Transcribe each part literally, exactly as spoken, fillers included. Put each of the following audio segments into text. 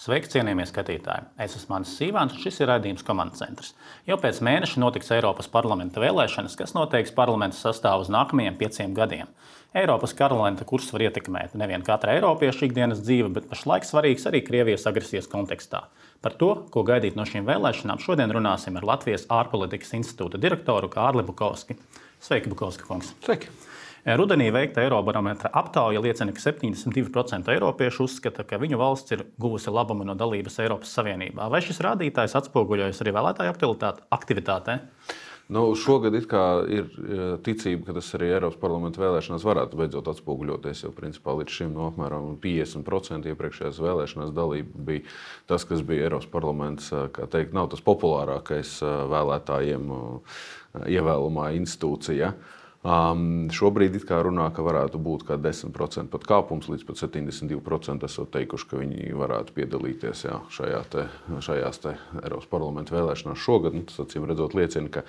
Sveiki, cienījamie skatītāji! Es esmu Mānis Sīvāns, un šis ir raidījums Komandas centrs. Jau pēc mēneša notiks Eiropas parlamenta vēlēšanas, kas noteiks parlamenta sastāvu uz nākamajiem pieciem gadiem. Eiropas parlamenta kurs var ietekmēt nevien katra eiropieša ikdienas dzīve, bet pašlaik svarīgs arī Krievijas agresijas kontekstā. Par to, ko gaidīt no šīm vēlēšanām, šodien runāsim ar Latvijas ārpolitikas institūta direktoru Kārli Bukovski. Sveiki, Bukovski kungs! Sveiki! Rudenī veikta Eirobarometra aptauja liecina, ka septiņdesmit divi procenti eiropiešu uzskata, ka viņu valsts ir guvusi labumu no dalības Eiropas Savienībā. Vai šis rādītājs atspoguļojas arī vēlētāju aktivitātē? Nu, šogad it kā ir ticība, ka tas arī Eiropas parlamenta vēlēšanās varētu beidzot atspoguļoties, jo principā līdz šim no apmēram piecdesmit procenti iepriekšējās vēlēšanās dalība bija tas, kas bija Eiropas parlaments, kā teikt, nav tas populārākais vēlētājiem ievēlamā institūcija. Um, šobrīd it kā runā, ka varētu būt kā desmit procenti pat kāpums, līdz pat septiņdesmit divi procenti esot teikuši, ka viņi varētu piedalīties jā, šajā te, šajās te Eiropas parlamenta vēlēšanās šogad. Nu, tas acīm redzot liecina, ka,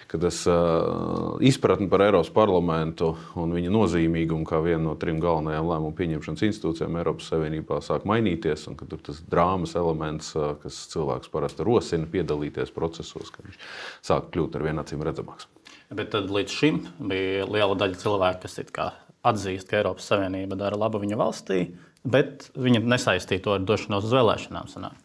ka tas uh, izpratni par Eiropas parlamentu un viņa nozīmīgumu kā vienu no trim galvenajām lēmumu pieņemšanas institūcijām Eiropas Savienībā sāk mainīties, un ka tur tas drāmas elements, uh, kas cilvēks parasti rosina piedalīties procesos, ka viņš sāk kļūt ar vien acīm redzamāks. Bet tad līdz šim bija liela daļa cilvēku, kas it kā atzīst, ka Eiropas Savienība dara labu viņa valstī, bet viņi nesaistīja to ar došanos uz vēlēšanām. Sanāk.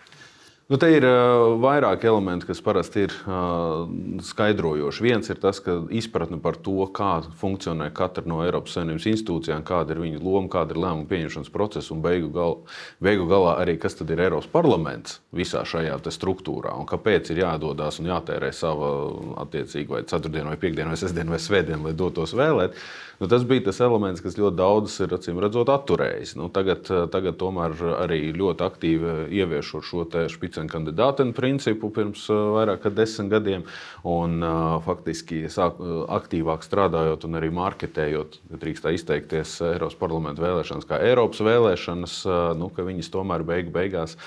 Nu, te ir uh, vairāki elementi, kas parasti ir uh, skaidrojoši. Viens ir tas, ka izpratne par to, kā funkcionē katra no Eiropas Savienības institūcijām, kāda ir viņa loma, kāda ir lēmuma pieņemšanas procesa un beigu, gal, beigu galā arī, kas tad ir Eiropas parlaments visā šajā te struktūrā un kāpēc ir jādodas un jātērē sava attiecīgi vai ceturtdienu, vai piekdienu, vai sestdienu, vai svētdienu, lai dotos vēlēt. Nu, tas bija tas elements, kas ļoti daudz ir, acīm redzot, atturējis. Nu, tagad, tagad tomēr arī ļoti aktīvi ieviešot šo te špicenkandidāten principu pirms vairāk kā desmit gadiem un faktiski sāk, aktīvāk strādājot un arī marketējot, ja drīkst tā izteikties, Eiropas parlamenta vēlēšanas kā Eiropas vēlēšanas, nu, ka viņas tomēr beigu beigās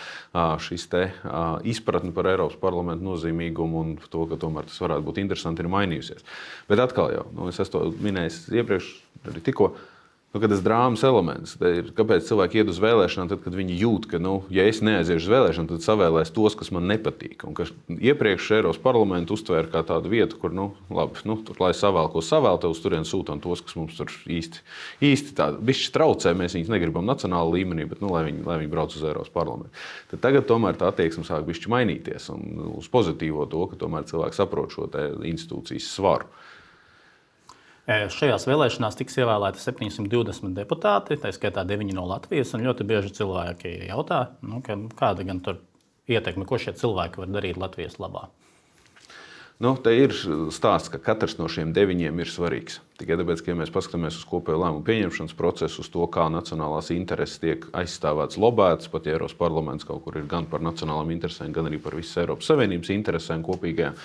šis te izpratni par Eiropas parlamentu nozīmīgumu un to, ka tomēr tas varētu būt interesanti, ir mainījusies. Bet atkal jau, nu, es esmu to minējis iepriekš, arī tikko, nu, kad tas drāmas elements, ir, kāpēc cilvēki iet uz vēlēšanām, tad, kad viņi jūt, ka, nu, ja es neaiziešu uz vēlēšanām, tad savēlēs tos, kas man nepatīk. Un ka iepriekš Eiropas parlamentu uztvēra kā tādu vietu, kur, nu, labi, nu, tur, lai savēl, ko savēl, tad uz turien sūtām tos, kas mums tur īsti, īsti tādu bišķi traucē, mēs viņus negribam nacionāla līmenī, bet, nu, lai viņi, lai viņi brauc uz Eiropas parlamentu. Tad tagad tomēr tā attieksme sāk bišķi mainīties un uz pozitīvo to, ka tomēr cilvēki saprot šo te institūcijas svaru. Šajās vēlēšanās tiks ievēlēti septiņsimt divdesmit deputāti, tā skaitā deviņi no Latvijas, un ļoti bieži cilvēki jautā, nu, ka, kāda gan tur ietekme, ko šie cilvēki var darīt Latvijas labā. Nu, te ir stāsts, ka katrs no šiem deviņiem ir svarīgs. Tikai tāpēc, ka ja mēs paskatāmies uz kopējo lēmumu pieņemšanas procesu, uz to, kā nacionālās intereses tiek aizstāvētas, lobētas, pat ja Eiropas parlaments kaut kur ir gan par nacionālām interesēm, gan arī par visas Eiropas Savienības interesēm kopīgajām,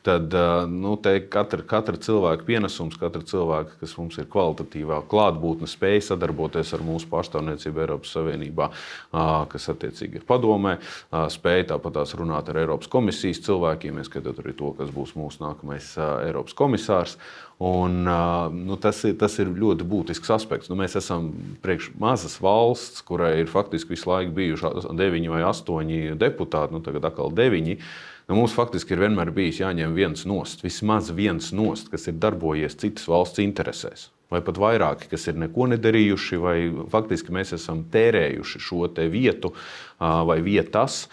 tad nu, te katra, katra cilvēka pienesums, katra cilvēka, kas mums ir kvalitatīvā klātbūtne, spēja sadarboties ar mūsu pārstāvniecību Eiropas Savienībā, kas attiecīgi ir padomē, spēja tāpatās runāt ar Eiropas komisijas cilvēkiem, ieskatot arī to, kas būs mūsu nākamais Eiropas komisārs. Un, nu, tas, ir, tas ir ļoti būtisks aspekts. Nu, mēs esam priekš mazas valsts, kurai ir faktiski visu laiku bijuši deviņi vai astoņi deputāti, nu tagad atkal deviņi. Nu, mums faktiski ir vienmēr bijis jāņem viens nost, vismaz viens nost, kas ir darbojies citas valsts interesēs. Vai pat vairāki, kas ir neko nedarījuši, vai faktiski mēs esam tērējuši šo te vietu vai vietas,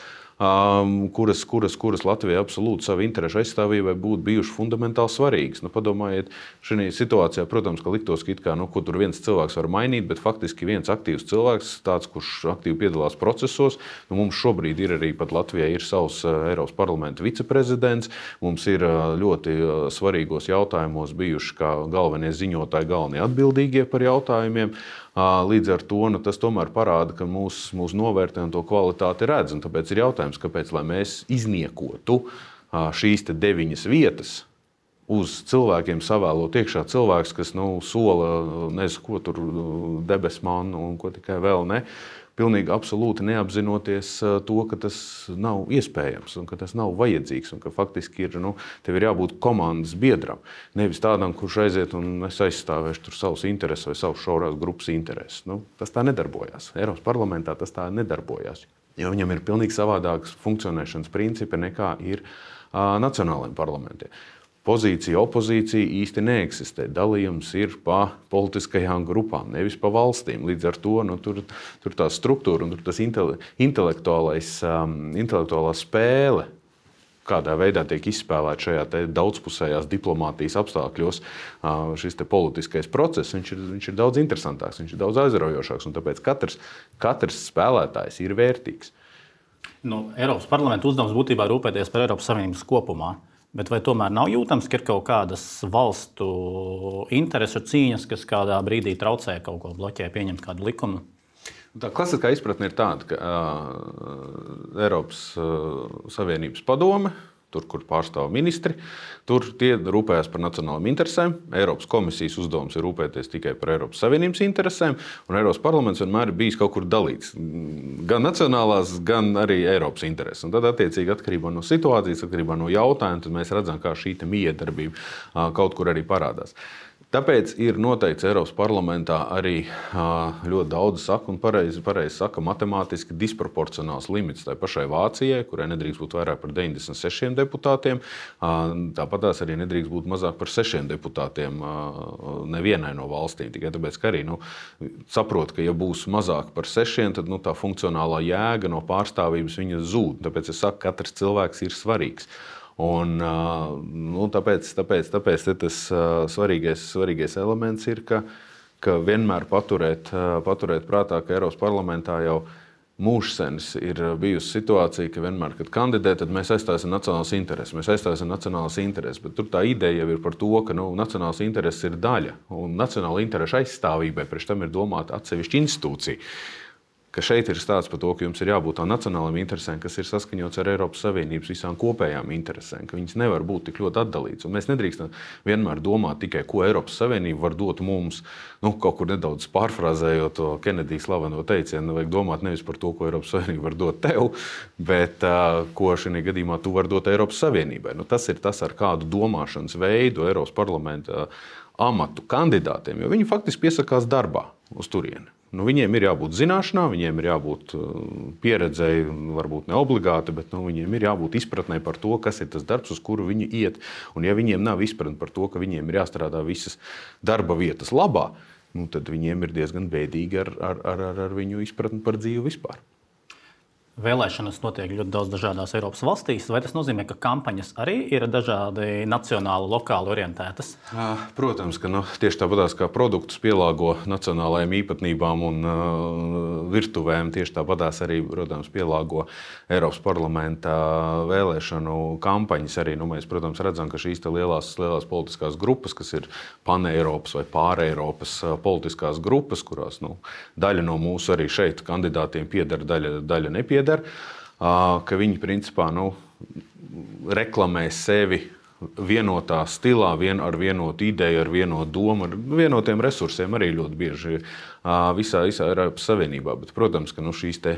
Um, kuras, kuras, kuras Latvijai absolūti savu interešu aizstāvībai būtu bijuši fundamentāli svarīgas. Nu, padomājiet, šajā situācijā, protams, ka liktos, ka, it kā, nu, ko tur viens cilvēks var mainīt, bet faktiski viens aktīvs cilvēks, tāds, kurš aktīvi piedalās procesos, nu, mums šobrīd ir arī pat Latvijai ir savs uh, Eiropas parlamenta viceprezidents, mums ir uh, ļoti uh, svarīgos jautājumos bijuši kā galvenie ziņotāji, galvenie atbildīgie par jautājumiem. Līdz ar to nu, tas tomēr parāda, ka mūsu mūs novērtē un to kvalitāti redz. Un tāpēc ir jautājums, kāpēc, lai mēs izniekotu šīs te deviņas vietas, uz cilvēkiem savēlot iekšā cilvēks, kas nu, sola, nezinu, ko tur debesmanu un ko tikai vēl ne, pilnīgi absolūti neapzinoties to, ka tas nav iespējams un ka tas nav vajadzīgs un ka faktiski ir, nu, tev ir jābūt komandas biedram. Nevis tādam, kurš aiziet un es aizstāvēšu tur savus intereses vai savus šaurās grupas intereses. Nu, tas tā nedarbojās. Eiropas parlamentā tas tā nedarbojās. Jo viņam ir pilnīgi savādākas funkcionēšanas principi nekā ir uh, nacionālajiem parlamentiem. Pozīcija, opozīcija īsti neeksistē. Dalījums ir pa politiskajām grupām, nevis pa valstīm. Līdz ar to nu, tur, tur tā struktūra un tur tas intele, intelektuālais, um, intelektuālā spēle, kādā veidā tiek izspēlēta šajā te daudzpusējās diplomātijas apstākļos, uh, šis te politiskais process, viņš ir, viņš ir daudz interesantāks, viņš ir daudz aizraujošāks. Un tāpēc katrs, katrs spēlētājs ir vērtīgs. Nu, Eiropas parlamenta uzdevums būtībā rūpēties par Eiropas Savienības kopumā. Bet vai tomēr nav jūtams, ka ir kaut kādas valstu interesu cīņas, kas kādā brīdī traucē kaut ko, bloķē, pieņemt kādu likumu? Tā klasiskā izpratne ir tāda, ka uh, Eiropas uh, Savienības padome, tur, kur pārstāv ministri, tur tie rūpējas par nacionālām interesēm. Eiropas komisijas uzdevums ir rūpēties tikai par Eiropas Savienības interesēm, un Eiropas parlaments vienmēr ir bijis kaut kur dalīts. Gan nacionālās, gan arī Eiropas intereses. Un tad, attiecīgi, atkarībā no situācijas, atkarībā no jautājuma, tad mēs redzam, kā šī miedarbība uh, kaut kur arī parādās. Tāpēc ir noteikts Eiropas parlamentā arī ļoti daudz saka, un pareizi, pareizi saka, matemātiski disproporcionāls limits tai pašai Vācijai, kurai nedrīkst būt vairāk par deviņdesmit sešiem deputātiem. Tāpat tās arī nedrīkst būt mazāk par sešiem deputātiem nevienai no valstīm. Tikai tāpēc, ka arī nu, saprot, ka ja būs mazāk par sešiem, tad nu, tā funkcionālā jēga no pārstāvības viņa zūd. Tāpēc es saku, ka katrs cilvēks ir svarīgs. Un, nu, tāpēc tāpēc, tāpēc tas svarīgais, svarīgais elements ir, ka, ka vienmēr paturēt, paturēt prātā, ka Eiropas parlamentā jau mūžsenis ir bijusi situācija, ka vienmēr, kad kandidē, tad mēs aizstāsim nacionālas intereses. Mēs aizstāsim nacionālas intereses, bet tur tā ideja jau ir par to, ka nu, nacionālas intereses ir daļa. Un nacionāla interešu aizstāvībai priekš tam ir domāta atsevišķa institūcija. Ka šeit ir stāsts par to, ka jums ir jābūt tām nacionālajām interesēm, kas ir saskaņots ar Eiropas Savienības visām kopējām interesēm, ka viņas nevar būt tik ļoti atdalītas. Un mēs nedrīkstam vienmēr domāt tikai, ko Eiropas Savienība var dot mums, nu, kaut kur nedaudz pārfrāzējot to Kenedija slaveno teicienu, vajag domāt nevis par to, ko Eiropas Savienība var dot tev, bet uh, ko šajā gadījumā tu vari dot Eiropas Savienībai. Nu, tas ir tas, ar kādu domāšanas veidu Eiropas parlamenta amatu kandidātiem, jo viņi faktiski piesakās darbā uz turieni. Nu, viņiem ir jābūt zināšanām, viņiem ir jābūt pieredzēji, varbūt ne obligāti, bet nu, viņiem ir jābūt izpratnē par to, kas ir tas darbs, uz kuru viņi iet. Un ja viņiem nav izpratne par to, ka viņiem ir jāstrādā visas darba vietas labā, nu, tad viņiem ir diezgan bēdīgi ar, ar, ar, ar viņu izpratni par dzīvi vispār. Vēlēšanas notiek ļoti daudz dažādās Eiropas valstīs. Vai tas nozīmē, ka kampaņas arī ir dažādi nacionāli, lokāli orientētas? Protams, ka nu, tieši tāpatās kā produktus pielāgo nacionālajām īpatnībām un uh, virtuvēm, tieši tāpatās arī, protams, pielāgo Eiropas parlamenta vēlēšanu kampaņas. Arī, nu, mēs, protams, redzam, ka šīs lielās, lielās politiskās grupas, kas ir paneiropas vai pāreiropas politiskās grupas, kurās nu, daļa no mūsu arī šeit kandidātiem pieder, daļa, daļa nepieder. Ka viņi principā nu, reklamē sevi vienotā stilā, vien ar vienotu ideju, ar vienotu domu, ar vienotiem resursiem arī ļoti bieži visā, visā Eiropas Savienībā. Bet, protams, ka nu, šīs te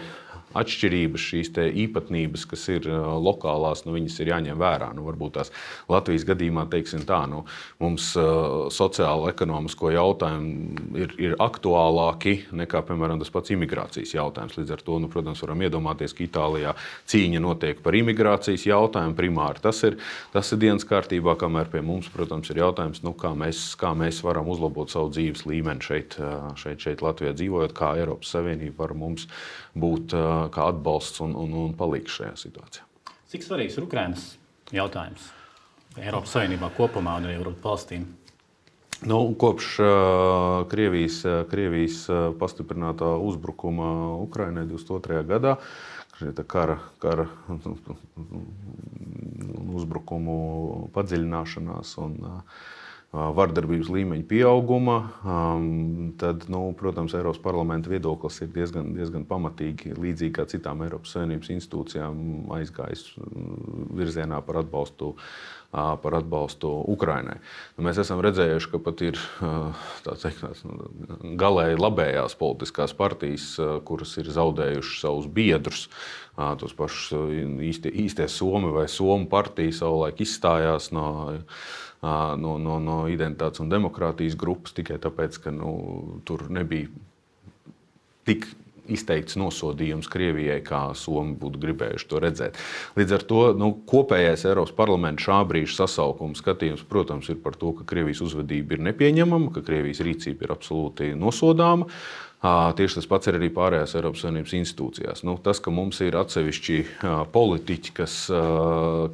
atšķirības, šīs te īpatnības, kas ir lokālās, nu, viņas ir jāņem vērā. Nu, varbūt tās Latvijas gadījumā, teiksim tā, nu, mums uh, sociālo-ekonomisko jautājumu ir, ir aktuālāki nekā, piemēram, tas pats imigrācijas jautājums. Līdz ar to, nu, protams, varam iedomāties, ka Itālijā cīņa notiek par imigrācijas jautājumu primāri. Tas ir, tas ir dienas kārtībā, kamēr pie mums, protams, ir jautājums, nu, kā, mēs, kā mēs varam uzlabot savu dzīves līmeni šeit, šeit, šeit Latvijā dzīvojot, kā Eiropas Savienība var mums būt uh, kā atbalsts un, un, un palīgs šajā situācijā. Cik svarīgs ir Ukrainas jautājums Eiropas Savienībā kopumā un arī Eiropas valstīm? Nu, kopš uh, Krievijas, Krievijas pastiprinātā uzbrukuma Ukrainai divdesmit otrajā gadā, kara, kara uzbrukumu padziļināšanās un uh, vardarbības līmeņa pieauguma, tad, nu, protams, Eiropas parlamenta viedoklis ir diezgan, diezgan pamatīgi, līdzīgi kā citām Eiropas Savienības institūcijām aizgājis virzienā par atbalstu, par atbalstu Ukrainai. Nu, mēs esam redzējuši, ka pat ir tā teikt, galēji labējās politiskās partijas, kuras ir zaudējušas savus biedrus, tos pašus īstie, īstie Somi vai Somu partija savulaik izstājās no No, no, no identitātes un demokrātijas grupas tikai tāpēc, ka nu, tur nebija tik izteikts nosodījums Krievijai, kā Somi būtu gribējuši to redzēt. Līdz ar to nu, kopējais Eiropas parlamenta šā brīža sasaukuma skatījums, protams, ir par to, ka Krievijas uzvedība ir nepieņemama, ka Krievijas rīcība ir absolūti nosodāma. Tieši tas pats ir arī pārējās Eiropas Savienības institūcijās. Nu, tas, ka mums ir atsevišķi politiķi, kas,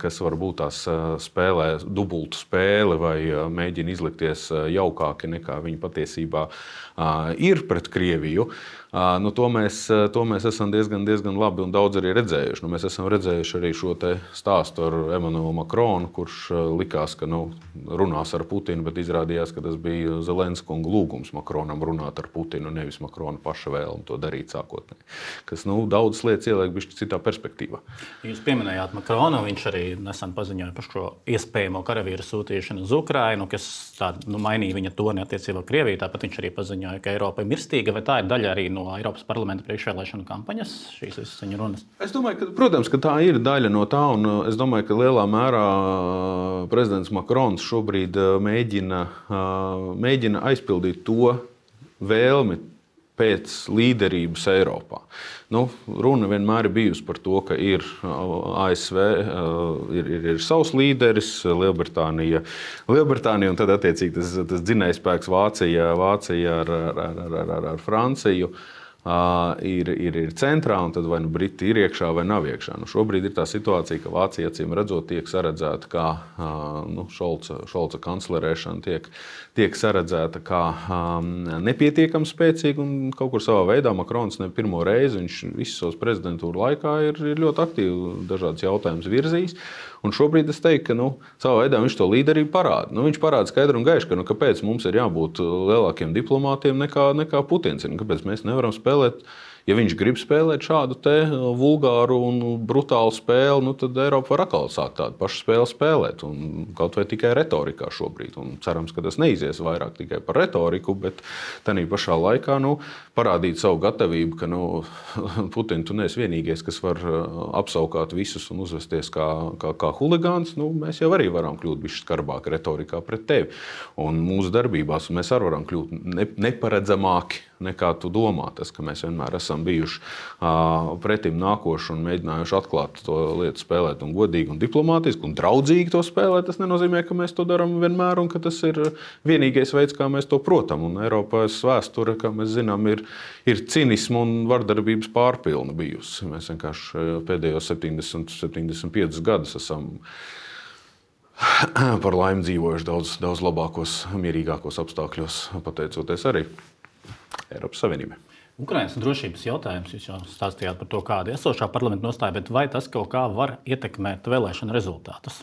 kas varbūt tās spēlē dubultu spēli vai mēģina izlikties jaukāki nekā viņi patiesībā ir pret Krieviju, nu, to, mēs, to mēs esam diezgan, diezgan labi un daudz arī redzējuši. Nu, mēs esam redzējuši arī šo te stāstu ar Emanuelu Makronu, kurš likās, ka nu, runās ar Putinu, bet izrādījās, ka tas bija Zelenska lūgums Makronam runāt ar Putinu, nevis Makrona paša vēlme to darīt sākotnēji. Kas nu, daudzas lietas ieliek bišķi citā perspektīvā. Jūs pieminējāt Makronu, viņš arī nesen paziņoja par šo iespējamo karavīru sūtīšanu uz Ukrainu, kas tā, nu, mainīja viņa toni attiecībā ar Krieviju. Tāpat viņš arī paziņoja, ka Eiropa ir mirstīga, vai tā ir daļa arī no Eiropas parlamenta priekšvēlēšanu kampaņas, šīs visas viņa runas? Es domāju, ka, protams, ka tā ir daļa no tā, un es domāju, ka lielā mērā prezidents Makrons šobrīd mēģina, mēģina aizpildīt to vēlmi pēc līderības Eiropā. Nu, runa vienmēr ir bijusi par to, ka ir A S V, ir, ir, ir savs līderis, Lielbritānija, Lielbritānija un tad attiecīgi tas, tas dzinējspēks Vācija, Vācija ar, ar, ar, ar, ar Franciju. Uh, ir, ir, ir centrā, un tad vai nu Briti ir iekšā vai nav iekšā. Nu, šobrīd ir tā situācija, ka Vācija acīm redzot tiek saredzēta kā uh, nu, Šolca, Šolca kanclerēšana tiek, tiek saredzēta kā um, nepietiekami spēcīga, un kaut kur savā veidā Makrons ne pirmo reizi, viņš visu savas prezidentūru laikā ir, ir ļoti aktīvi dažādas jautājumas virzījis. Un šobrīd es teiktu, ka nu, savā veidā viņš to līderību parāda. Nu, viņš parāda skaidri un gaiši, ka nu, kāpēc mums ir jābūt lielākiem diplomātiem nekā, nekā Putins. Kāpēc mēs nevaram spēlēt, ja viņš grib spēlēt šādu te vulgāru un brutālu spēli, nu, tad Eiropa var atkal sākt tādu pašu spēli spēlēt. Un kaut vai tikai retorikā šobrīd. Un cerams, ka tas neizies vairāk tikai par retoriku, bet tādā pašā laikā nu, parādīt savu gatavību, ka nu, Putin, tu neesi vienīgais, kas var apsaukāt visus un uzvesties kā, kā, kā huligāns. Nu, mēs jau arī varam kļūt bišķi skarbāk retorikā pret tevi. Un mūsu darbībās mēs arī varam kļūt ne, neparedzamāki nekā tu domā. Tas, ka mēs vienmēr esam bijuši uh, pretim nākoši un mēģinājuši atklāt to lietu spēlēt un godīgi un diplomātiski un draudzīgi to spēlēt, tas nenozīmē, ka mēs to darām vienmēr un ka tas ir vienīgais veids, kā mēs to protam. Un Eiropas vēsture, kā mēs zinām, ir, ir cinismu un vardarbības pārpilna bijusi. Mēs vienkārši pēdējos septiņdesmit, septiņdesmit piecus gadus esam par laimi dzīvojuši daudz, daudz labākos, mierīgākos apstākļos, pateicoties arī Eiropas Savienībai. Ukrainas drošības jautājums, jūs jau stāstījāt par to, kāda ir esošā parlamenta nostāja, bet vai tas kaut kā var ietekmēt vēlēšanu rezultātus?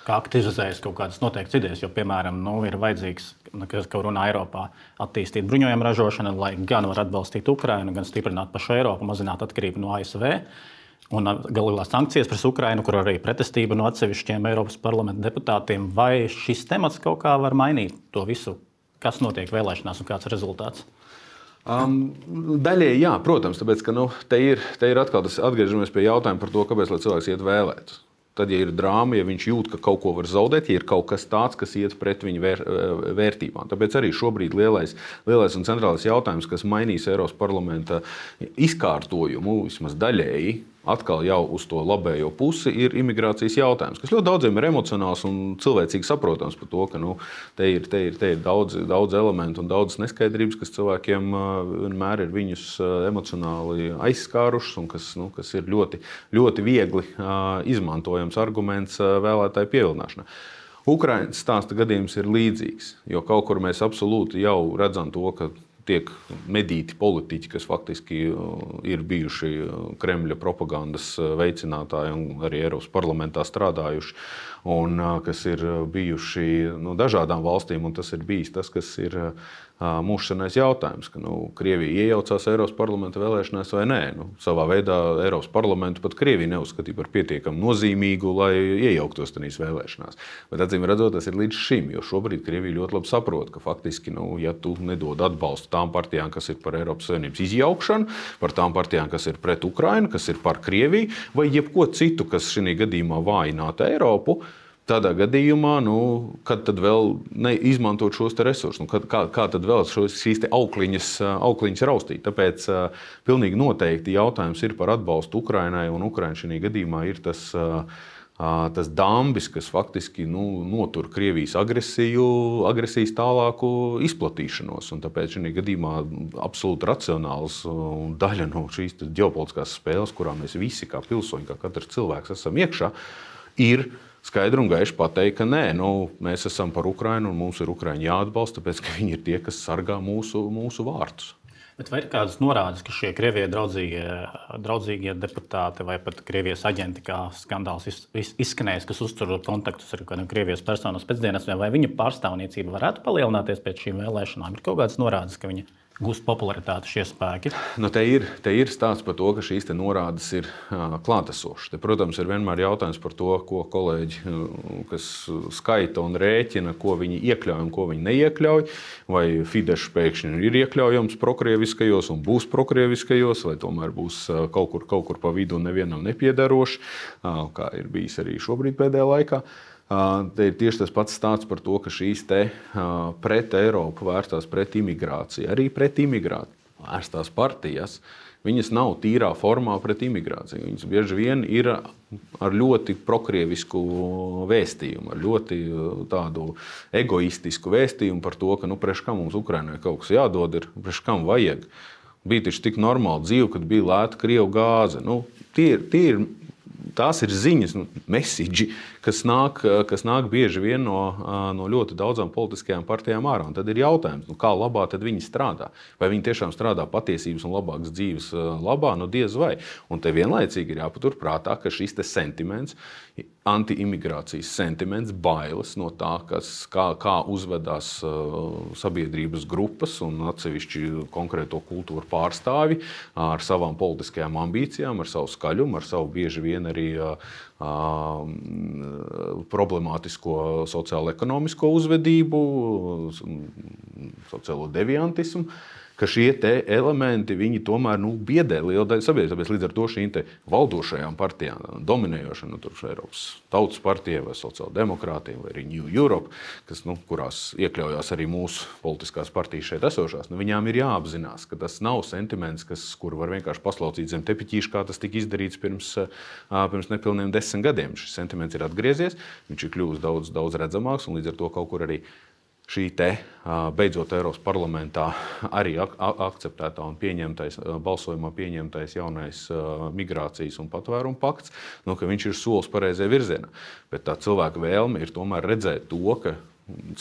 Kā aktivizējas kaut kādas noteiktas idejas, jo, piemēram, nu, ir vajadzīgs, kas kaut runā Eiropā, attīstīt bruņojumu ražošanu, lai gan var atbalstīt Ukrainu, gan stiprināt pašu Eiropu, mazināt atkarību no A S V. Un galīgās sankcijas pret Ukrainu, kur arī pretestība no atsevišķiem Eiropas parlamenta deputātiem. Vai šis temats kaut kā var mainīt to visu, kas notiek vēlēšanās un kāds ir rezultāts? Um, daļēji jā, protams, tāpēc, ka nu, te ir, te ir atkal tas atgriežamies pie jautājuma par to, kāpēc lai cilvēks iet vēlēt. Tad, ja ir drāma, ja viņš jūt, ka kaut ko var zaudēt, ja ir kaut kas tāds, kas iet pret viņa vēr, vērtībām. Tāpēc arī šobrīd lielais, lielais un centrālais jautājums, kas mainīs Eiropas parlamenta izkārtojumu, vismaz daļēji, atkal jau uz to labējo pusi, ir imigrācijas jautājums, kas ļoti daudziem ir emocionāls un cilvēcīgi saprotams par to, ka nu, te ir, te ir, te ir daudz, daudz elementu un daudz neskaidrības, kas cilvēkiem vienmēr ir viņus emocionāli aizskārušas un kas, nu, kas ir ļoti, ļoti viegli izmantojams arguments vēlētāju pievilināšanai. Ukrainas stāsta gadījums ir līdzīgs, jo kaut kur mēs absolūti jau redzam to, ka tiek medīti politiķi, kas faktiski ir bijuši Kremļa propagandas veicinātāji un arī Eiropas parlamentā strādājuši, un kas ir bijuši no dažādām valstīm, un tas ir bijis tas, kas ir mūsu senais jautājums, ka nu, Krievija iejaucās Eiropas parlamenta vēlēšanās vai nē. Nu, savā veidā Eiropas parlamentu pat Krievija neuzskatīja par pietiekami nozīmīgu, lai iejauktos tajās vēlēšanās. Bet acīm redzot, tas ir līdz šim, jo šobrīd Krievija ļoti labi saprot, ka faktiski, nu, ja tu nedod atbalstu tām partijām, kas ir par Eiropas Savienības izjaukšanu, par tām partijām, kas ir pret Ukrainu, kas ir par Krieviju, vai jebko citu, kas šī gadījumā vājinātu Eiropu, tādā gadījumā, nu, kad tad vēl izmantot šos te resursus, nu, kad, kā, kā tad vēl šos, šīs te aukliņas, aukliņas raustīt. Tāpēc uh, pilnīgi noteikti jautājums ir par atbalstu Ukrainai, un Ukraina šajā gadījumā ir tas, uh, tas dambis, kas faktiski nu, notur Krievijas agresiju, agresijas tālāku izplatīšanos. Un tāpēc šajā gadījumā absolūti racionāls daļa no šīs ģeopolitiskās spēles, kurā mēs visi kā pilsoņi, kā katrs cilvēks esam iekšā, ir skaidri un gaiši pateikt, ka nē, nu, mēs esam par Ukrainu un mums ir Ukraiņi jāatbalsta, tāpēc ka viņi ir tie, kas sargā mūsu, mūsu vārtus. Bet vai ir kādas norādes, ka šie Krievijai draudzīgie, draudzīgie deputāti vai pat Krievijas aģenti, kā skandāls izskanējis, kas uztur kontaktus ar kādiem Krievijas personas pēcdienestiem, vai viņa pārstāvniecība varētu palielināties pēc šīm vēlēšanām? Ir kaut kādas norādes, ka viņa gūst popularitāti šie spēki? Nu, te, ir, te ir stāsts par to, ka šīs te norādes ir uh, klātesošas. Te, protams, ir vienmēr jautājums par to, ko kolēģi, uh, kas skaita un rēķina, ko viņi iekļauj un ko viņi neiekļauj. Vai Fidesz pēkšņi ir iekļaujams prokrieviskajos un būs prokrieviskajos, vai tomēr būs uh, kaut kur, kaut kur pa vidu nevienam nepiedaroši, uh, kā ir bijis arī šobrīd pēdējā laikā. Te ir tieši tas pats stāsts par to, ka šīs te pret Eiropu vērstās pret imigrāciju, arī pret imigrāciju vērstās partijas, viņas nav tīrā formā pret imigrāciju. Viņas bieži vien ir ar ļoti prokrievisku vēstījumu, ar ļoti tādu egoistisku vēstījumu par to, ka nu, priekš kam mums Ukrainai kaut kas jādod, ir priekš kam vajag. Bija taču tik normāla dzīve, kad bija lēta Krievu gāze. Nu, tie ir, tie ir Tās ir ziņas, nu, mesiģi, kas nāk, kas nāk bieži vien no, no ļoti daudzām politiskajām partijām ārā. Un tad ir jautājums, nu, kā labā tad viņi strādā? Vai viņi tiešām strādā patiesības un labākas dzīves labā? Nu, diez vai. Un te vienlaicīgi ir jāpatur prātā, ka šis te sentiments, anti-imigrācijas sentiments, bailes no tā, kas, kā, kā uzvedās uh, sabiedrības grupas un atsevišķi konkrēto kultūru pārstāvi ar savām politiskajām ambīcijām, ar savu skaļumu, ar savu bieži vien arī uh, uh, problemātisko sociālo-ekonomisko uzvedību, sociālo deviantismu, ka šie te elementi, viņi tomēr nu, biedē lielu daļu sabiedrības. Tāpēc līdz ar to šīm te valdošajām partijām, dominējošām, nu, tur Eiropas Tautas partija vai sociāldemokrātiem vai arī New Europe, kas, nu, kurās iekļaujās arī mūsu politiskās partijas šeit esošās, nu, viņām ir jāapzinās, ka tas nav sentiments, kas, kuru var vienkārši paslaucīt zem tepiķīša, kā tas tika izdarīts pirms, pirms nepilniem desmit gadiem. Šis sentiments ir atgriezies, viņš ir kļuvis daudz, daudz redzamāks un līdz ar to kaut kur arī šī te beidzot Eiropas parlamentā arī ak akceptētā un pieņemtais, balsojumā pieņemtais jaunais migrācijas un patvērumu pakts, nu, ka viņš ir solis pareizajā virzienā. Bet tā cilvēka vēlme ir tomēr redzēt to, ka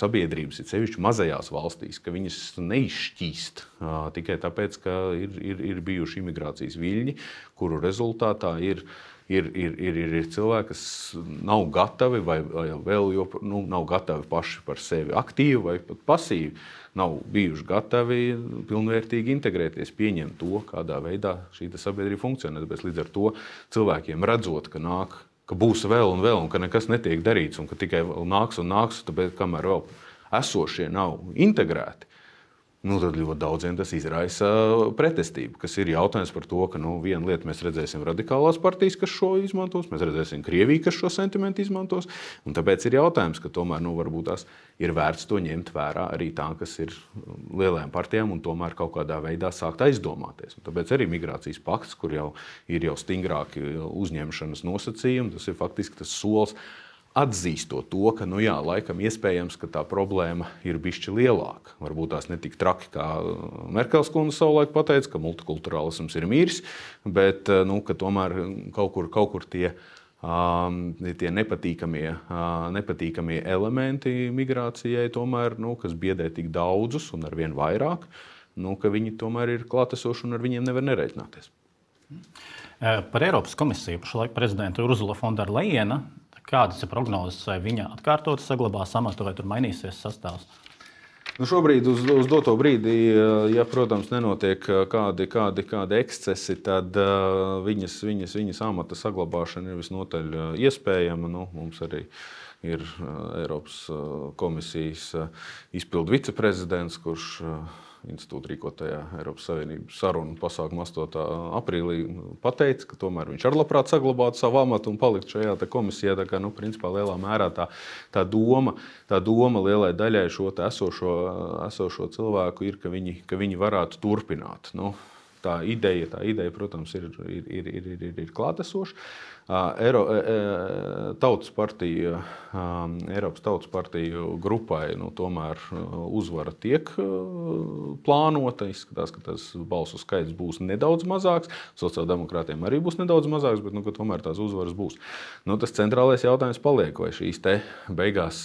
sabiedrības ir sevišķi mazajās valstīs, ka viņas neizšķīst tikai tāpēc, ka ir, ir, ir bijuši imigrācijas viļņi, kuru rezultātā ir Ir, ir, ir, ir cilvēki, kas nav gatavi vai, vai vēl jo, nu, nav gatavi paši par sevi aktīvi vai pat pasīvi, nav bijuši gatavi pilnvērtīgi integrēties, pieņemt to, kādā veidā šī sabiedrība funkcionē. Tāpēc līdz ar to cilvēkiem redzot, ka nāk, ka būs vēl un vēl un ka nekas netiek darīts un ka tikai vēl nāks un nāks, tāpēc kamēr vēl esošie nav integrēti, nu, tad ļoti daudziem tas izraisa pretestību, kas ir jautājums par to, ka nu, viena lieta mēs redzēsim radikālās partijas, kas šo izmantos, mēs redzēsim Krieviju, kas šo sentimentu izmantos, un tāpēc ir jautājums, ka tomēr nu, varbūt tās ir vērts to ņemt vērā arī tā, kas ir lielajām partijām un tomēr kaut kādā veidā sākt aizdomāties. Un tāpēc arī migrācijas pakts, kur jau ir jau stingrāki uzņemšanas nosacījumi, tas ir faktiski tas solis, atzīstot to, ka, nu jā, laikam iespējams, ka tā problēma ir bišķi lielāka. Varbūt tās ne tik traki, kā Merkels kundze savulaik pateica, ka multikulturālisms ir miris, bet, nu, ka tomēr kaut kur, kaut kur tie, um, tie nepatīkamie, uh, nepatīkamie elementi migrācijai tomēr, nu, kas biedē tik daudzus un arvien vairāk, nu, ka viņi tomēr ir klātesoši un ar viņiem nevar nereiķināties. Par Eiropas komisiju pašlaik prezidenta Urzula von der Leyena. Kādas ir prognozes, vai viņa atkārtot saglabās amatu, vai tur mainīsies sastāvs? Nu, šobrīd uz, uz doto brīdī, ja, protams, nenotiek kādi, kādi, kādi ekscesi, tad uh, viņas, viņas, viņas amata saglabāšana ir visnotaļ iespējama. Nu, mums arī ir uh, Eiropas uh, komisijas uh, izpildu viceprezidents, kurš uh, institūta rīkotajā Eiropas Savienības sarunu pasākumā astotā aprīlī pateica, ka tomēr viņš ar labprāt saglabātu savu amatu un paliktu šajā komisijā. Tā kā, nu, principā lielā mērā tā, tā, doma, tā doma lielai daļai šo esošo, esošo cilvēku ir, ka viņi, ka viņi varētu turpināt. Nu, tā ideja, tā ideja, protams, ir, ir, ir, ir, ir, ir klātesoša. Eiro, tautas partija, Eiropas Tautas partiju grupai nu, tomēr uzvara tiek plānota. Izskatās, ka tas balsu skaits būs nedaudz mazāks. Sociāldemokrātiem arī būs nedaudz mazāks, bet nu, tomēr tās uzvaras būs. Nu, tas centrālais jautājums paliek, vai šīs te beigās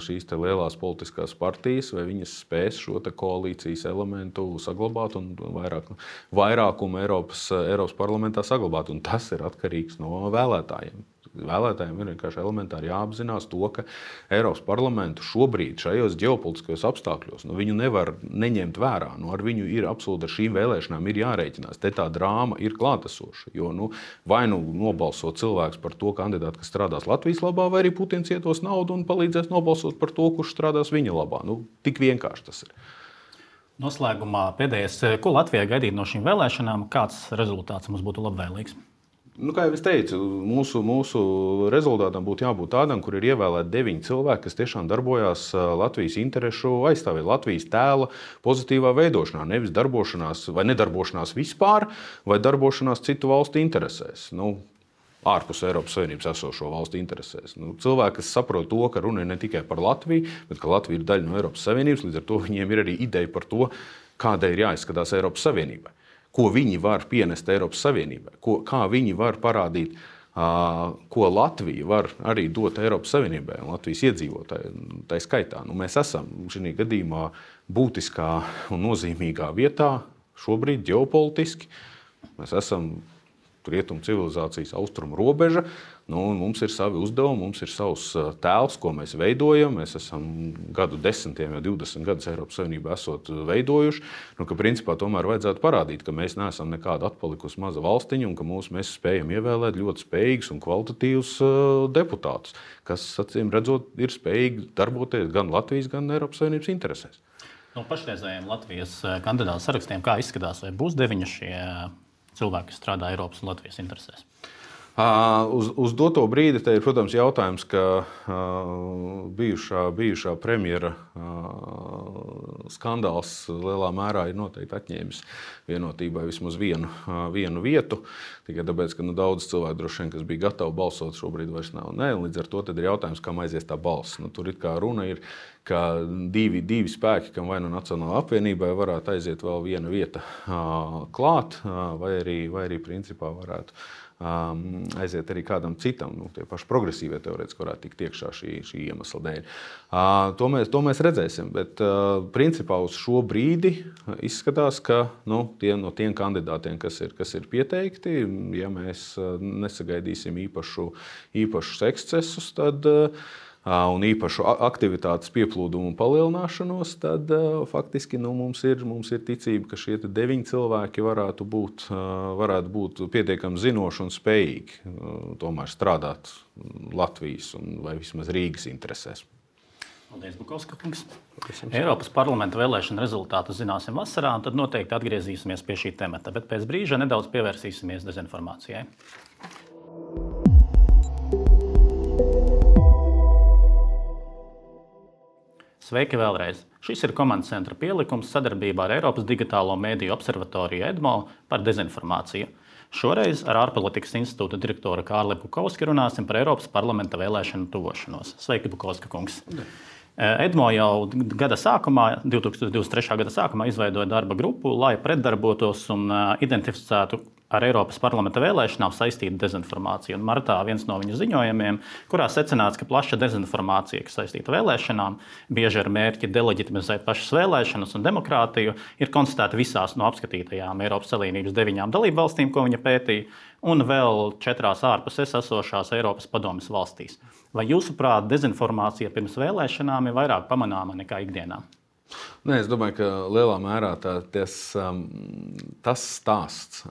šīs te lielās politiskās partijas, vai viņas spēs šo te koalīcijas elementu saglabāt un vairāk, vairākumu Eiropas, Eiropas parlamentā saglabāt. Un tas ir atkarīgs no vēlētājiem. Vēlētājiem ir vienkārši elementāri jāapzinās to, ka Eiropas parlamentu šobrīd šajos ģeopolitiskajos apstākļos nu, viņu nevar neņemt vērā. Nu, ar viņu ir absolūti ar šīm vēlēšanām ir jārēķinās. Te tā drāma ir klātesoša. Jo nu, vai nu nobalso cilvēks par to kandidātu, kas strādās Latvijas labā, vai arī Putins ietos naudu un palīdzēs nobalsot par to, kurš strādās viņa labā. Nu, tik vienkārši tas ir. Noslēgumā pēdējais, ko Latvijai gaidīt no šīm vēlēšanām, kāds rezultāts mums būtu labvēlīgs? Nu, kā jau es teicu, mūsu, mūsu rezultātam būtu jābūt tādam, kur ir ievēlēti deviņi cilvēki, kas tiešām darbojās Latvijas interešu aizstāvēt, Latvijas tēla pozitīvā veidošanā, nevis darbošanās vai nedarbošanās vispār, vai darbošanās citu valstu interesēs. Nu, ārpus Eiropas Savienības esošo valstu interesēs. Nu, cilvēki, kas saprot to, ka runa ir ne tikai par Latviju, bet ka Latvija ir daļa no Eiropas Savienības, līdz ar to viņiem ir arī ideja par to, kādai ir jāizskatās Eiropas Savienībai. Ko viņi var pienest Eiropas Savienībai, ko, kā viņi var parādīt, uh, ko Latvija var arī dot Eiropas Savienībai un Latvijas iedzīvotāji. Tā skaitā nu, mēs esam šī gadījumā būtiskā un nozīmīgā vietā šobrīd ģeopolitiski. Mēs esam rietumu civilizācijas austrumu robeža. Nu, mums ir savi uzdevumi, mums ir savs tēls, ko mēs veidojam. Mēs esam gadu desmitiem, jau divdesmit gadus Eiropas Savienībā esot veidojuši. Nu, ka principā tomēr vajadzētu parādīt, ka mēs neesam nekāda atpalikusi maza valstiņa un ka mūs, mēs spējam ievēlēt ļoti spējīgus un kvalitatīvus uh, deputātus, kas, acīm redzot, ir spējīgi darboties gan Latvijas, gan Eiropas Savienības interesēs. No pašreizējiem Latvijas kandidātu sarakstiem, kā izskatās, vai būs deviņi šie cilvēki, kas strādā Eiropas un Latvijas interesēs? Uh, uz, uz doto brīdi te ir, protams, jautājums, ka uh, bijušā, bijušā premjera uh, skandāls lielā mērā ir noteikti atņēmis vienotībai vismaz vienu, uh, vienu vietu. Tikai tāpēc, ka nu, daudz cilvēku droši vien, kas bija gatavi balsot, šobrīd vairs nav. Nē, līdz ar to tad ir jautājums, kā aizies tā balss. Nu, tur it kā runa ir, ka divi, divi spēki, kam vai nu Nacionālajai apvienībai varētu aiziet vēl viena vieta uh, klāt, uh, vai arī, vai arī principā varētu Um, aiziet arī kādam citam, nu, tie paši progresīvie teorētiski varētu tikt iekšā šī, šī iemesla dēļ. Uh, to, mēs, to mēs redzēsim, bet uh, principā uz šo brīdi izskatās, ka nu, tie, no tiem kandidātiem, kas ir, kas ir pieteikti, ja mēs uh, nesagaidīsim īpašu, īpašus ekscesus, tad uh, un īpašu aktivitātes pieplūdumu un palielināšanos, tad uh, faktiski nu, mums, ir, mums ir ticība, ka šie deviņi cilvēki varētu būt, uh, varētu būt pietiekami zinoši un spējīgi uh, tomēr strādāt Latvijas un vai vismaz Rīgas interesēs. Paldies, Bukovska kungs. Eiropas parlamenta vēlēšana rezultātu zināsim vasarā, un tad noteikti atgriezīsimies pie šī temata, bet pēc brīža nedaudz pievērsīsimies dezinformācijai. Sveiki vēlreiz! Šis ir komandas centra pielikums sadarbībā ar Eiropas digitālo mēdīju observatoriju EDMO par dezinformāciju. Šoreiz ar ārpolitikas institūta direktoru Kārli Bukovski runāsim par Eiropas parlamenta vēlēšanu tuvošanos. Sveiki, Bukovska kungs! Ne. EDMO jau gada sākumā, divtūkstoš divdesmit trešā gada sākumā izveidoja darba grupu, lai pretdarbotos un identificētu ar Eiropas parlamenta vēlēšanām saistītu dezinformāciju. Un martā viens no viņu ziņojumiem, kurā secināts, ka plaša dezinformācija, kas saistīta vēlēšanām, bieži ar mērķi deleģitimizēt pašas vēlēšanas un demokrātiju, ir konstatēta visās no apskatītajām Eiropas Savienības deviņām dalību valstīm, ko viņa pētīja, un vēl četrās ārpus es esošās Eiropas padomes valstīs. Vai jūsuprāt, dezinformācija pirms vēlēšanām ir vairāk pamanāma nekā ikdienā? Nē, es domāju, ka lielā mērā tā, tas, tas stāsts,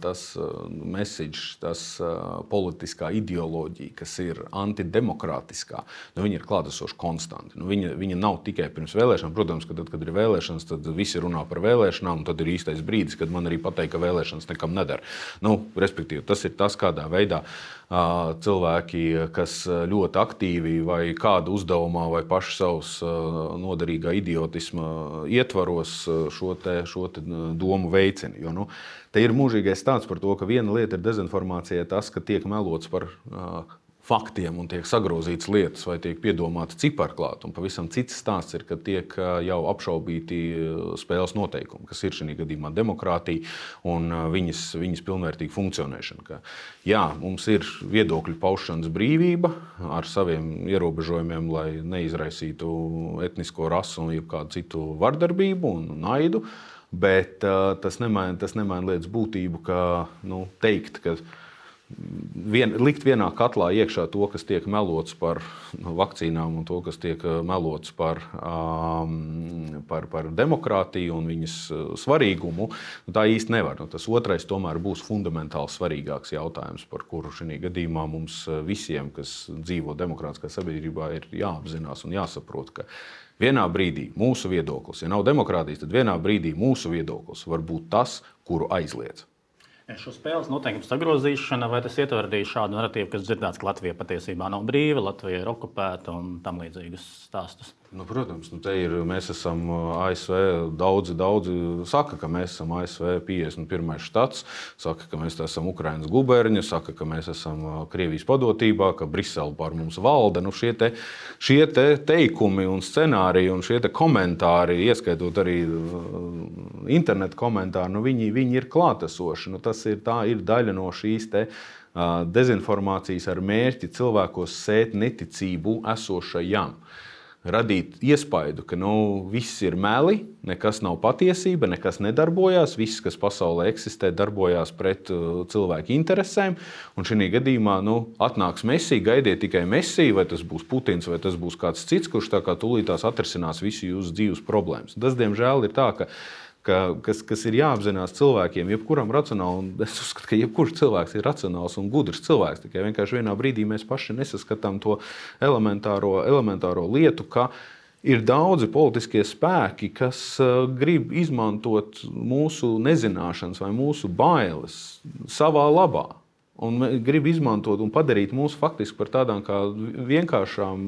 tas message, tas politiskā ideoloģija, kas ir antidemokrātiskā, nu, viņa ir klātesoša konstanti. Nu, viņa, viņa nav tikai pirms vēlēšanām. Protams, ka tad, kad ir vēlēšanas, tad visi runā par vēlēšanām, un tad ir īstais brīdis, kad man arī pateikt, ka vēlēšanas nekam nedara. Nu, respektīvi, tas ir tas, kādā veidā cilvēki, kas ļoti aktīvi vai kādu uzdevumā vai paši savus noderīgā idiotisma ietvaros šo, te, šo te domu veicina. Jo, nu, te ir mūžīgais stāsts par to, ka viena lieta ir dezinformācija, tas, ka tiek melots par uh, faktiem un tiek sagrozītas lietas vai tiek piedomāti ciparklāt. Un pavisam cits stāsts ir, ka tiek jau apšaubīti spēles noteikumi, kas ir šī gadījumā demokrātija un viņas, viņas pilnvērtīga funkcionēšana. Ka, jā, mums ir viedokļu paušanas brīvība ar saviem ierobežojumiem, lai neizraisītu etnisko rasu un jebkādu citu vardarbību un naidu, bet uh, tas nemaina, tas nemaina lietas būtību, ka nu, teikt, ka Vien, likt vienā katlā iekšā to, kas tiek melots par vakcīnām un to, kas tiek melots par, um, par, par demokrātiju un viņas svarīgumu, nu, tā īsti nevar. Nu, tas otrais tomēr būs fundamentāli svarīgāks jautājums, par kuru šī gadījumā mums visiem, kas dzīvo demokrātiskā sabiedrībā, ir jāapzinās un jāsaprot, ka vienā brīdī mūsu viedoklis, ja nav demokrātijas, tad vienā brīdī mūsu viedoklis var būt tas, kuru aizliedz. Šo spēles noteikumu sagrozīšana, vai tas ietver arī šādu narratīvu, kas dzirdēts, ka Latvija patiesībā nav brīva, Latvija ir okupēta un tam līdzīgus stāstus? Nu, protams, nu te ir, mēs esam A S V, daudzi, daudzi saka, ka mēs esam A S V piecdesmit pirmais štats, saka, ka mēs esam Ukrainas guberņi, saka, ka mēs esam Krievijas padotībā, ka Brisele pār mums valda. Nu, šie, te, šie te teikumi un scenāriji un šie te komentāri, ieskaitot arī internetu komentāri, nu, viņi, viņi ir klātesoši. Nu, tas ir, tā ir daļa no šīs te dezinformācijas ar mērķi cilvēkos sēt neticību esošajam. Radīt iespaidu, ka nu, viss ir meli, nekas nav patiesība, nekas nedarbojās, viss, kas pasaulē eksistē, darbojās pret uh, cilvēku interesēm. Un šī gadījumā nu, atnāks Messi, gaidiet tikai Messi, vai tas būs Putins, vai tas būs kāds cits, kurš tā kā tūlītās atrisinās visu jūsu dzīves problēmas. Tas, diemžēl, ir tā, ka Ka, kas, kas ir jāapzinās cilvēkiem, jebkuram racionāli, un es uzskatu, ka jebkurš cilvēks ir racionāls un gudrs cilvēks, tikai vienkārši vienā brīdī mēs paši nesaskatām to elementāro, elementāro lietu, ka ir daudzi politiskie spēki, kas uh, grib izmantot mūsu nezināšanas vai mūsu bailes savā labā. Un grib izmantot un padarīt mūs faktiski par tādām kā vienkāršām,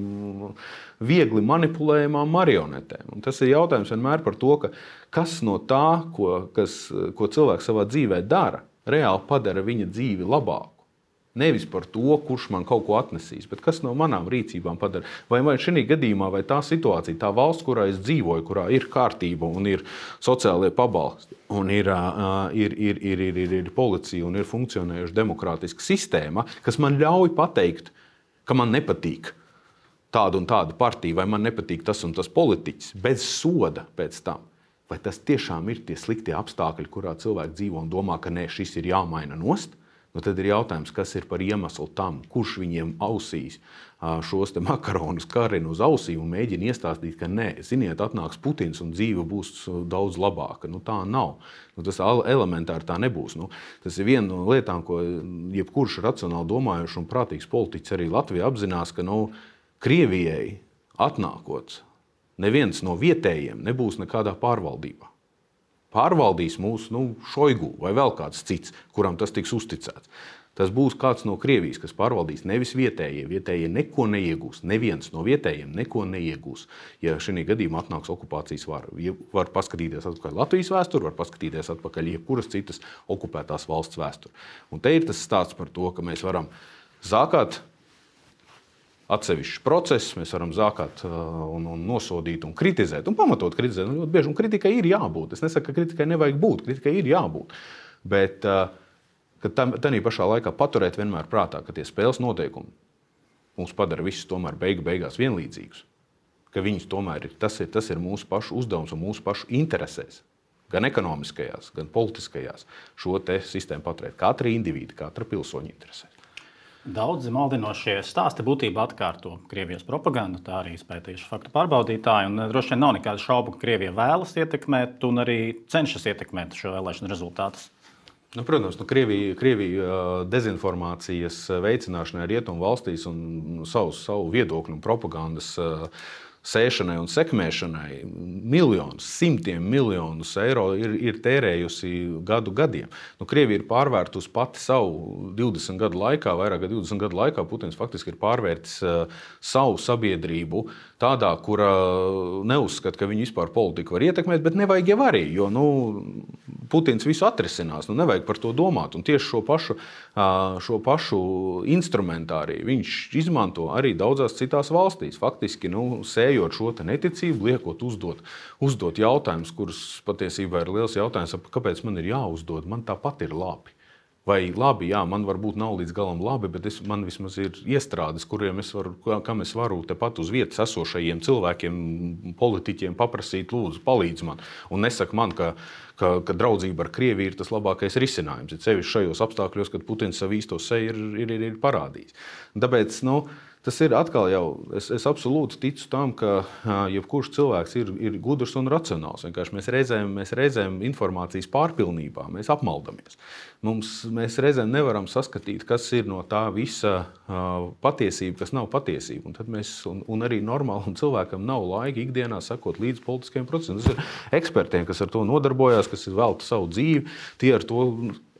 viegli manipulējamām marionetēm. Un tas ir jautājums vienmēr par to, ka kas no tā, ko, kas, ko cilvēks savā dzīvē dara, reāli padara viņa dzīvi labāku. Nevis par to, kurš man kaut ko atnesīs, bet kas no manām rīcībām padara. Vai, vai šī gadījumā, vai tā situācija, tā valsts, kurā es dzīvoju, kurā ir kārtība un ir sociālie pabalsti, un ir, uh, ir, ir, ir, ir, ir, ir policija un ir funkcionējuša demokrātiska sistēma, kas man ļauj pateikt, ka man nepatīk tāda un tāda partija, vai man nepatīk tas un tas politiķis, bez soda pēc tam. Vai tas tiešām ir tie sliktie apstākļi, kurā cilvēki dzīvo un domā, ka nē, šis ir jāmaina nost? Nu, tad ir jautājums, kas ir par iemeslu tam, kurš viņiem ausīs šos te makaronus karina uz ausīm un mēģina iestāstīt, ka nē, ziniet, atnāks Putins un dzīve būs daudz labāka. Nu, tā nav. Nu, tas elementāri tā nebūs. Nu, tas ir viena no lietām, ko jebkurš racionāli domājuši un prātīgs politiķis arī Latvijā apzinās, ka nu, Krievijai atnākot, neviens no vietējiem nebūs nekādā pārvaldībā. Pārvaldīs mūsu nu, Šoigu vai vēl kāds cits, kuram tas tiks uzticēts. Tas būs kāds no Krievijas, kas pārvaldīs, nevis vietējie. Vietējie neko neiegūs. Neviens no vietējiem neko neiegūs. Ja šī gadījumā atnāks okupācijas vara, var paskatīties atpakaļ Latvijas vēsturi, var paskatīties atpakaļ jebkuras citas okupētās valsts vēsturi. Un te ir tas stāsts par to, ka mēs varam zākāt atsevišķs process, mēs varam zākāt un, un nosodīt un kritizēt, un pamatot kritizēt. Un ļoti bieži, un kritikai ir jābūt. Es nesaku, ka kritikai nevajag būt, kritikai ir jābūt. Bet ka tādā pašā laikā paturēt vienmēr prātā, ka tie spēles noteikumi mums padara visus tomēr beigu beigās vienlīdzīgus. Ka viņus tomēr ir, tas ir, tas ir mūsu pašu uzdevums un mūsu pašu interesēs. Gan ekonomiskajās, gan politiskajās šo te sistēmu paturēt. Katra indivīda, katra pilsoņa interesēs. Daudzi maldinošie stāsti būtībā atkārto Krievijas propagandu, tā arī izpētījuši faktu pārbaudītāji. Un droši vien nav nekādu šaubu, ka Krievija vēlas ietekmēt un arī cenšas ietekmēt šo vēlēšanu rezultātus. Nu, protams, nu, Krievija, Krievija dezinformācijas veicināšanai rietumu valstīs un savu, savu viedokļu un propagandas sēšanai un sekmēšanai miljonus, simtiem miljonus eiro ir, ir tērējusi gadu gadiem. Nu, Krievija ir pārvērtusi pati savu divdesmit gadu laikā, vairāk kā divdesmit gadu laikā, Putins faktiski ir pārvērtis uh, savu sabiedrību tādā, kura neuzskata, ka viņi vispār politiku var ietekmēt, bet nevajag jau arī, jo nu, Putins visu atrisinās, nu nevajag par to domāt. Un tieši šo pašu, uh, šo pašu instrumentāriju viņš izmanto arī daudzās citās valstīs. Faktiski, nu, sējot šo neticību, liekot uzdot, uzdot jautājumus, kurus patiesībā ir liels jautājums, kāpēc man ir jāuzdod, man tāpat ir labi. Vai labi, jā, man varbūt nav līdz galam labi, bet es, man vismaz ir iestrādes, kuriem es varu, kam es varu tepat uz vietas esošajiem cilvēkiem, politiķiem paprasīt, lūdzu, palīdz man. Un nesaka man, ka, ka, ka draudzība ar Krieviju ir tas labākais risinājums. Ir sevišķi šajos apstākļos, kad Putins savu īsto seju ir, ir, ir, ir parādījis. Tāpēc, nu, tas ir atkal jau, es, es absolūti ticu tam, ka jebkurš cilvēks ir, ir gudrs un racionāls. Vienkārši mēs reizēm, mēs reizēm informācijas pārpilnībā, mēs apmaldamies. Mums, mēs reizēm nevaram saskatīt, kas ir no tā visa uh, patiesība, kas nav patiesība. Un, tad mēs, un, un arī normālam cilvēkam nav laika ikdienā sekot līdz politiskiem procesiem. Tas ir ekspertiem, kas ar to nodarbojās, kas ir velta savu dzīvi, tie ar to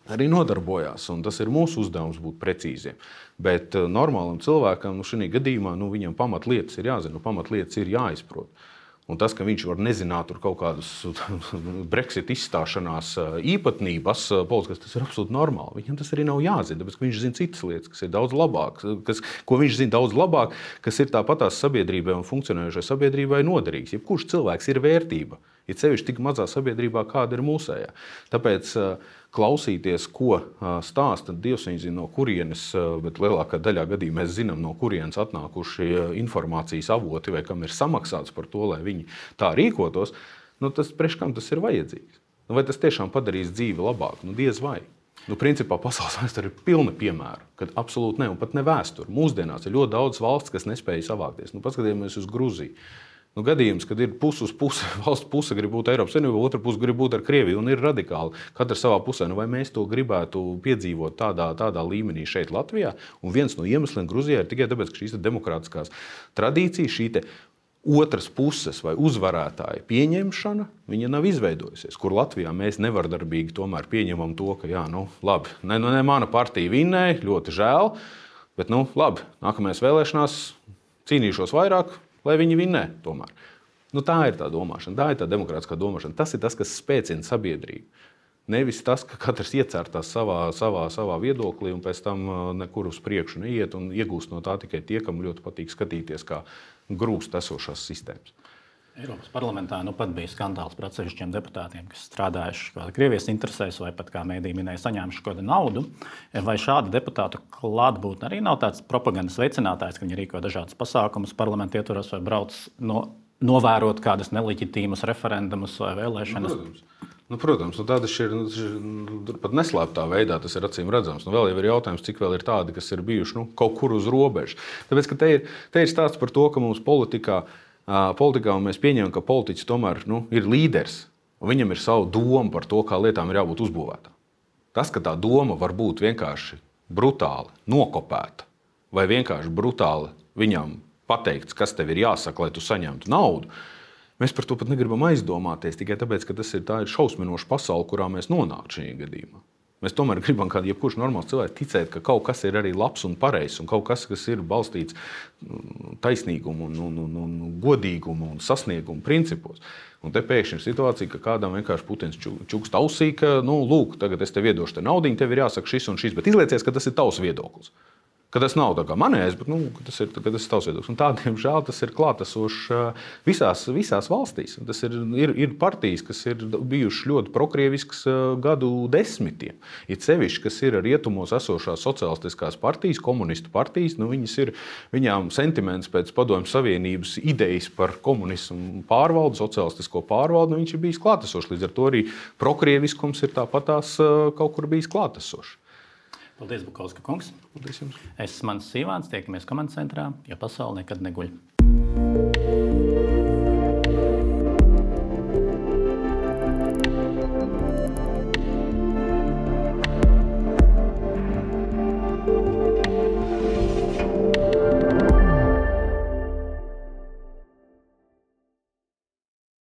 arī nodarbojās. Un tas ir mūsu uzdevums būt precīziem. Bet uh, normālam cilvēkam nu, šajā gadījumā nu, viņam pamatlietas ir jāzina, nu, pamatlietas ir jāizprot. Un tas, ka viņš var nezināt tur kaut kādus Brexit izstāšanās īpatnības politiskas, tas ir absolūti normāli. Viņam tas arī nav jāzina, tāpēc, ka viņš zina citas lietas, kas ir daudz labāk, kas, ko viņš zina daudz labāk, kas ir tāpatās sabiedrībai un funkcionējošai sabiedrībai noderīgs. Jebkurš cilvēks ir vērtība, ir sevišķi tik mazā sabiedrībā, kāda ir mūsējā. Tāpēc klausīties, ko stāsta Dievs, viņi zina no kurienes, bet lielākā daļā gadījumā mēs zinām, no kurienes atnākuši informācijas avoti vai kam ir samaksāts par to, lai viņi tā rīkotos, nu tas priekš kam tas ir vajadzīgs? Nu, vai tas tiešām padarīs dzīvi labāku? Nu, diez vai. Nu, principā pasaules vēsture ir pilna piemēra, kad absolūti ne, un pat ne vēsture. Mūsdienās ir ļoti daudz valsts, kas nespēja savākties. Nu, paskatījāmies uz Gruziju. Nu, gadījums, kad ir puse uz puse, valsts puse grib būt Eiropas Savienībā, otra puse grib būt ar Krieviju un ir radikāli. Katra savā pusē. Nu, vai mēs to gribētu piedzīvot tādā, tādā līmenī šeit Latvijā? Un viens no iemesliem Gruzijā ir tikai tāpēc, ka šīs demokrātiskās tradīcijas, šī te otras puses vai uzvarētāja pieņemšana, viņa nav izveidojusies. Kur Latvijā mēs nevardarbīgi tomēr pieņemam to, ka jā, nu labi, ne, nu, ne mana partija vinnēja, ļoti žēl, bet nu labi, nākamajās vēlēšanās cīnīšos vairāk, lai viņi vinnē tomēr. Nu, tā ir tā domāšana, tā ir tā demokrātiskā domāšana. Tas ir tas, kas spēcina sabiedrību. Nevis tas, ka katrs iecērtās savā, savā, savā viedoklī un pēc tam nekur uz priekšu neiet un iegūst no tā tikai tie, kam ļoti patīk skatīties, kā grūst esošās sistēmas. Eiropas parlamentā nu pat bija skandāls par atsevišķiem deputātiem, kas strādājuši Krievijas interesēs vai pat, kā mēdī minēja, saņēmuši kādu naudu. Vai šāda deputātu klātbūtne arī nav tāds propagandas veicinātājs, ka viņi rīko dažādas pasākumus parlamenta ietvaros vai brauc no, novērot kādas neleģitīmas referendumus vai vēlēšanas? Nu, protams. Nu, protams, nu, tādas ir nu, pat neslēptā veidā, tas ir acīm redzams. Nu, vēl jau ir jautājums, cik vēl ir tādi, kas ir bijuši nu, kaut kur uz robežas. Tāpēc, ka te ir, te ir stāsts par to, ka mums politikā Politikā mēs pieņemam, ka politiķis tomēr nu, ir līderis, un viņam ir savu domu par to, kā lietām ir jābūt uzbūvētām. Tas, ka tā doma var būt vienkārši brutāli nokopēta, vai vienkārši brutāli viņam pateikts, kas tev ir jāsaka, lai tu saņemtu naudu, mēs par to pat negribam aizdomāties, tikai tāpēc, ka tas ir, tā ir šausminoša pasaule, kurā mēs nonākam šajā gadījumā. Mēs tomēr gribam, kā jebkurš normāls cilvēks, ticēt, ka kaut kas ir arī labs un pareizs, un kaut kas, kas ir balstīts taisnīgumu, un, un, un, un godīgumu un sasniegumu principos. Un te pēkšņi ir situācija, ka kādam vienkārši Putins čukst ausī, ka, nu, lūk, tagad es tev iedošu te naudiņu, tev ir jāsaka šis un šis, bet izliecies, ka tas ir tavs viedoklis. Ka tas nav tā kā manējais, bet nu, tas ir, tas ir tavs viedoklis. Un tādiem žēl tas ir klātesošs visās, visās valstīs. Tas ir, ir, ir partijas, kas ir bijušas ļoti prokrieviskas gadu desmitiem. Ir sevišķi, kas ir rietumos esošās sociālistiskās partijas, komunistu partijas, nu, viņas ir, viņām sentiments pēc Padomju Savienības idejas par komunismu pārvaldu, sociālistisko pārvaldu, nu, viņš ir bijis klātesošs. Līdz ar to arī prokrieviskums ir tāpatās kaut kur bijis klātesošs. Paldies, Bukovska kungs. Paldies jums. Es esmu Mans Sīvāns, tiekamies komandas centrā, jo pasaule nekad neguļ.